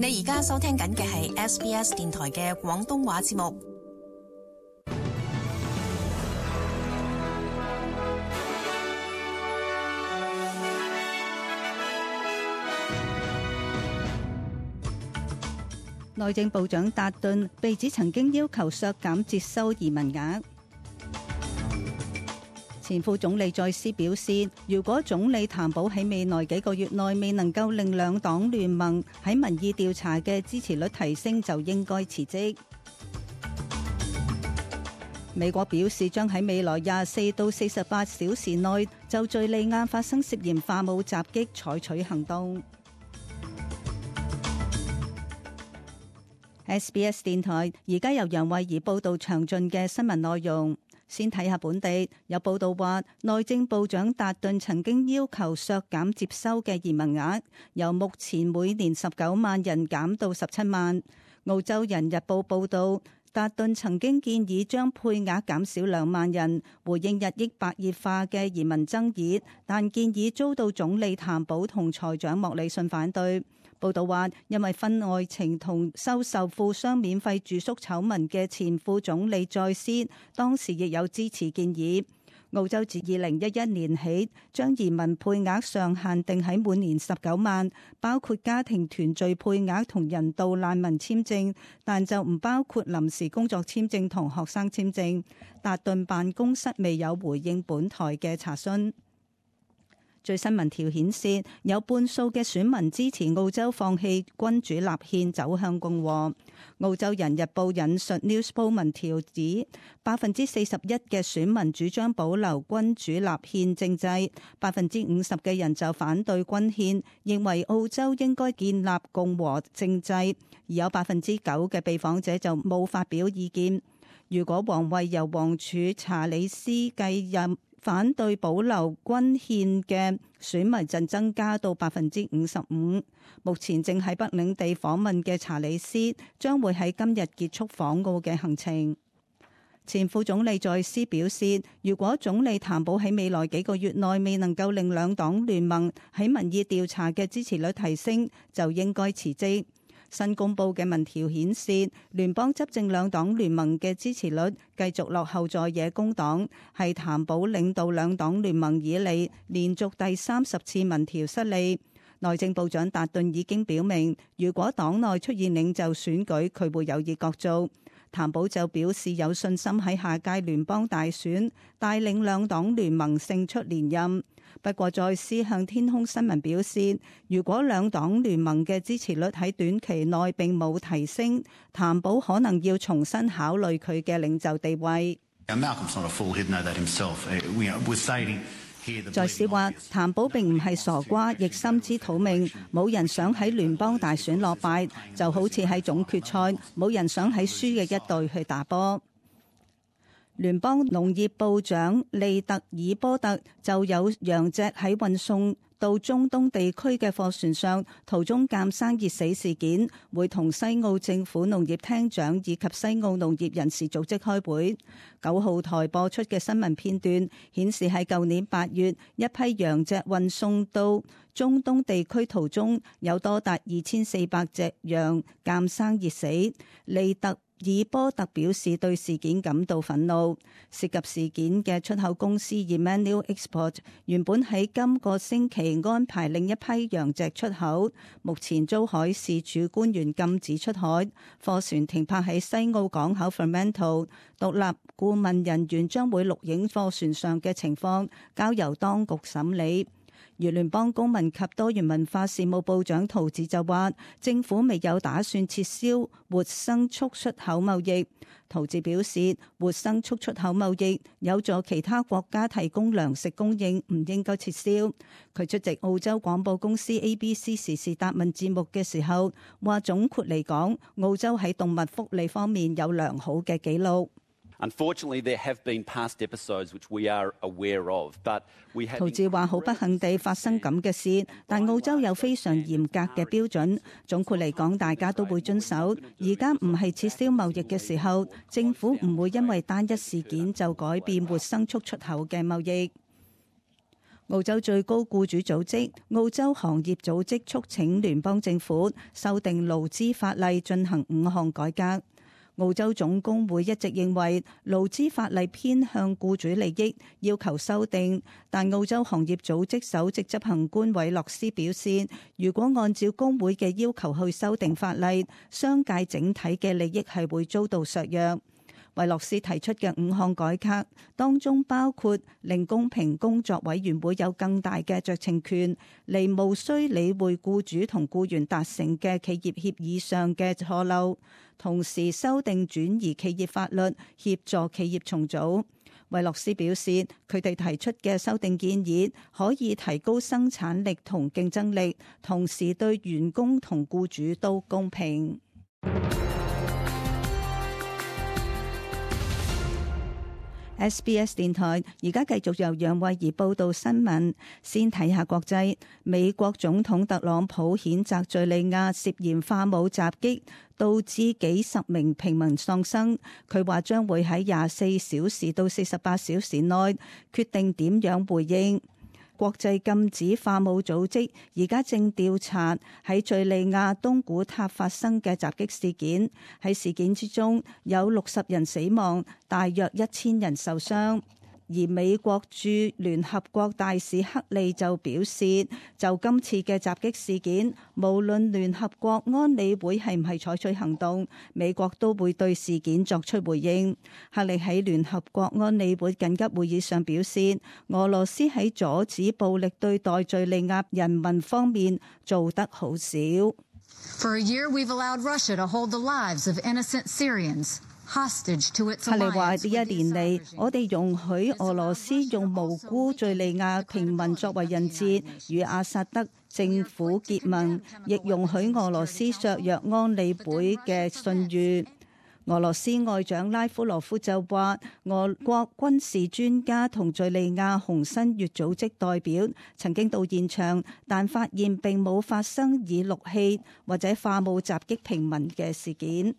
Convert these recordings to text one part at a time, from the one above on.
你而家收聽緊嘅係 SBS 電台嘅廣東話節目。內政部長達頓被指曾經要求削減接收移民額。前副總理再斯表示，如果總理譚寶喺未來幾個月內未能夠令兩黨聯盟喺民意調查嘅支持率提升，就應該辭職。美國表示將喺未來24到48小時內就敘利亞發生涉嫌化武襲擊採取行動。SBS 電台而家由楊慧儀報道詳盡嘅新聞內容。先睇下本地，有報道話，內政部長達頓曾經要求削減接收嘅移民額，由目前每年19萬人減到17萬。澳洲人日報報道，達頓曾經建議將配額減少2萬人，回應日益白熱化嘅移民爭議，但建議遭到總理譚寶同財長莫里遜反對。報道話，因為婚外情同收受富商免費住宿醜聞嘅前副總理再斯，當時亦有支持建議。澳洲自2011年起將移民配額上限定喺每年19萬，包括家庭團聚配額同人道難民簽證，但就唔包括臨時工作簽證同學生簽證。達頓辦公室未有回應本台嘅查詢。最新民調顯示，有半數嘅選民支持澳洲放棄君主立憲走向共和。澳洲人日報引述 Newspoll 民調指，41%嘅選民主張保留君主立憲政制，50%嘅人就反對均憲，認為澳洲應該建立共和政制，而有9%嘅被訪者就冇發表意見。如果皇位由王儲查理斯繼任，反對保留均憲嘅選民就增加到55%。目前正喺北領地訪問嘅查理斯將會喺今日結束訪澳嘅行程。前副總理再斯表示，如果總理譚寶喺未來幾個月內未能夠令兩黨聯盟喺民意調查嘅支持率提升，就應該辭職。新公布嘅民調顯示，聯邦執政兩黨聯盟嘅支持率繼續落後在野工黨，係譚寶領導兩黨聯盟以嚟連續第30次民調失利。內政部長達頓已經表明，如果黨內出現領袖選舉，佢會有意角逐。譚寶就表示有信心喺下屆聯邦大選帶領兩黨聯盟勝出連任。不過再斯向天空新聞表示，如果兩黨聯盟嘅支持率喺短期內並冇提升，譚寶可能要重新考慮佢嘅領袖地位。再斯話，譚寶並唔係傻瓜，亦心知肚明，冇人想喺聯邦大選落敗，就好似喺總決賽，冇人想喺輸嘅一隊去打波。聯邦農業部長利特爾波特就有羊隻喺運送到中東地區嘅貨船上途中鑑生熱死事件，會同西澳政府農業廳長以及西澳農業人士組織開會。9號台播出嘅新聞片段顯示，喺舊年8月，一批羊隻運送到中東地區途中，有多達2400隻羊鑑生熱死。利特爾波特表示對事件感到憤怒。涉及事件嘅出口公司 Emmanuel Export 原本喺今個星期安排另一批羊隻出口，目前遭海事處官員禁止出海，貨船停泊喺西澳港口 Fremantle。獨立顧問人員將會錄影貨船上嘅情況，交由當局審理。而聯邦公民及多元文化事務部長陶治就話，政府未有打算撤銷活牲畜出口貿易。陶治表示，活牲畜出口貿易有助其他國家提供糧食供應，唔應該撤銷。佢出席澳洲廣播公司 ABC 時事答問節目嘅時候話，總括嚟講，澳洲喺動物福利方面有良好嘅記錄。Unfortunately, there have been past episodes which we are aware of, but we have. 陶治話：好不幸地發生咁嘅事，但澳洲有非常嚴格嘅標準。總括嚟講，大家都會遵守。而家唔係撤銷貿易嘅時候，政府唔會因為單一事件就改變活牲畜出口嘅貿易。澳洲最高僱主組織澳洲行業組織促請聯邦政府修訂勞資法例，進行5項改革。澳洲總工會一直認為勞資法例偏向僱主利益，要求修訂。但澳洲行業組織首席執行官韋洛斯表示，如果按照工會嘅要求去修訂法例，商界整體嘅利益係會遭到削弱。韋洛斯提出嘅5項改革當中包括令公平工作委員會有更大嘅酌情權，嚟無需理會僱主同僱員達成嘅企業協議上嘅錯漏，同時修訂轉移企業法律，協助企業重組。韋洛斯表示，佢哋提出嘅修訂建議可以提高生產力同競爭力，同時對員工同僱主都公平。SBS 電台而家繼續由楊慧儀報道新聞。先睇下國際，美國總統特朗普譴責敘利亞涉嫌化武襲擊，導致幾十名平民喪生。佢話將會喺24小時到48小時內決定點樣回應。國際禁止化武組織而家正調查喺敘利亞東古塔發生嘅襲擊事件，喺事件之中有60人死亡，大約1000人受傷。而美國駐聯合國大使克利就表示，就今次嘅襲擊事件，無論聯合國安理會係唔係採取行動，美國都會對事件作出回應。克利喺聯合國安理會緊急會議上表示，俄羅斯喺阻止暴力對待敘利亞人民方面做得好少。For a year, we've allowed Russia to hold the lives of innocent Syrians.克利話：呢一年嚟，我哋容許俄羅斯用無辜敘利亞平民作為人質，與阿薩德政府結盟，亦容許俄羅斯削弱安理會嘅信譽。俄羅斯外長拉夫羅夫就話：俄國軍事專家同敘利亞紅新月組織代表曾經到現場，但發現並冇發生以氯氣或者化武襲擊平民嘅事件。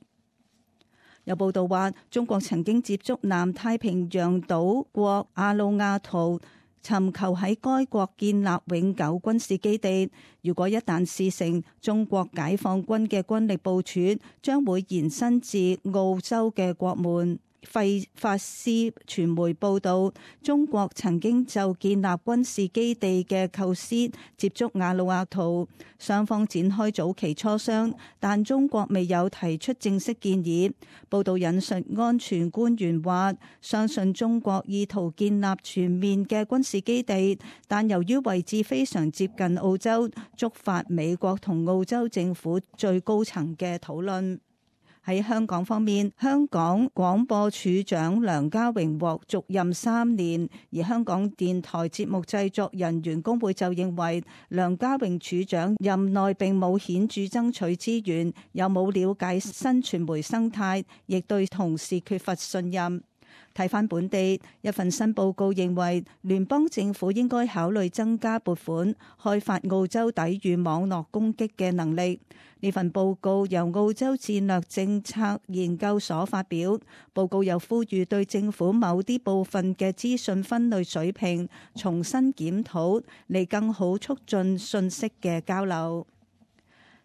有報道話，中國曾經接觸南太平洋島國阿魯亞圖，尋求喺該國建立永久軍事基地。如果一旦事成，中國解放軍嘅軍力部署將會延伸至澳洲嘅國門。費法斯傳媒報道，中國曾經就建立軍事基地嘅構思接觸阿魯亞圖，雙方展開早期磋商，但中國未有提出正式建議。報道引述安全官員話，相信中國意圖建立全面嘅軍事基地，但由於位置非常接近澳洲，觸發美國同澳洲政府最高層嘅討論。喺香港方面，香港廣播處長梁家榮獲續任3年，而香港電台節目製作人員工會就認為梁家榮處長任內並冇顯著爭取資源，又冇了解新傳媒生態，亦對同事缺乏信任。睇返本地，一份新報告認為聯邦政府應該考慮增加撥款，開發澳洲抵禦網絡攻擊嘅能力。呢份報告由澳洲戰略政策研究所發表，報告又呼籲對政府某啲部分嘅資訊分類水平重新檢討，嚟更好促進信息嘅交流。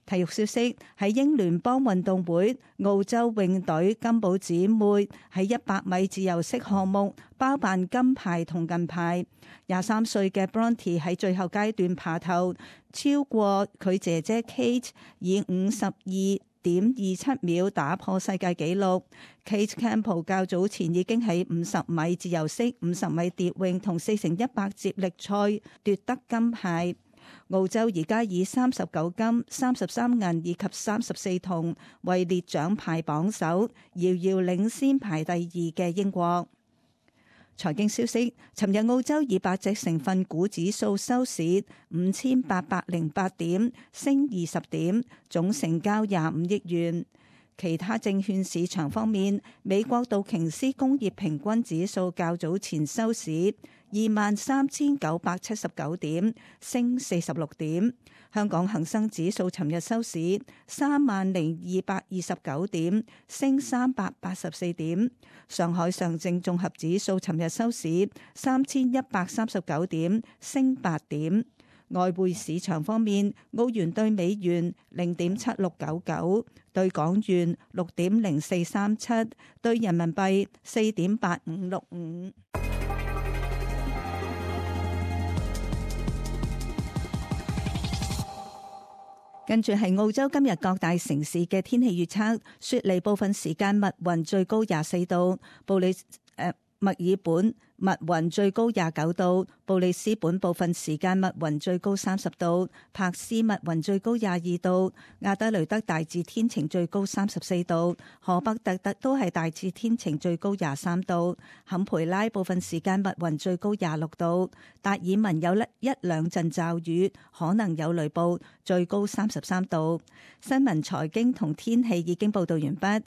體育消息，喺英聯邦運動會，澳洲泳隊金寶姊妹喺100米自由式項目包辦金牌同銀牌。23歲嘅 Bronte 喺最後階段爬頭，超過佢姐姐 Kate， 以52.27秒打破世界紀錄。Kate Campbell 較早前已經喺50米自由式、50米蝶泳同4×100接力賽奪得金牌。澳洲而家以39金、33銀以及34銅位列獎牌榜首，遙遙領先排第2嘅英國。財經消息，尋日澳洲200隻成分股指數收市5808點，升20點，總成交25億元。其他證券市場方面，美國道瓊斯工業平均指數較早前收市23,979點，升46點。香港恒生指數尋日收市30,229點，升384點。上海上證綜合指數尋日收市3,139點，升8點。外匯市場方面，澳元對美元0.7699，對港元6.0437，對人民幣4.8565。跟住係澳洲今日各大城市嘅天氣預測：雪梨部分時間密雲，最高24度；墨爾本密雲，最高29度；布里斯本部分時間密雲，最高30度；珀斯密雲，最高22度；亞德雷德大致天晴，最高34度；荷伯特特都係大致天晴，最高23度；坎培拉部分時間密雲，最高26度；達爾文有一兩陣驟雨，可能有雷暴，最高33度。新聞、財經同天氣已經報道完畢。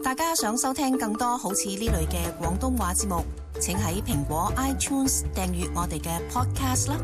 大家想收聽更多好似呢類嘅廣東話節目，請喺蘋果 iTunes 訂閱我哋嘅 Podcast 啦。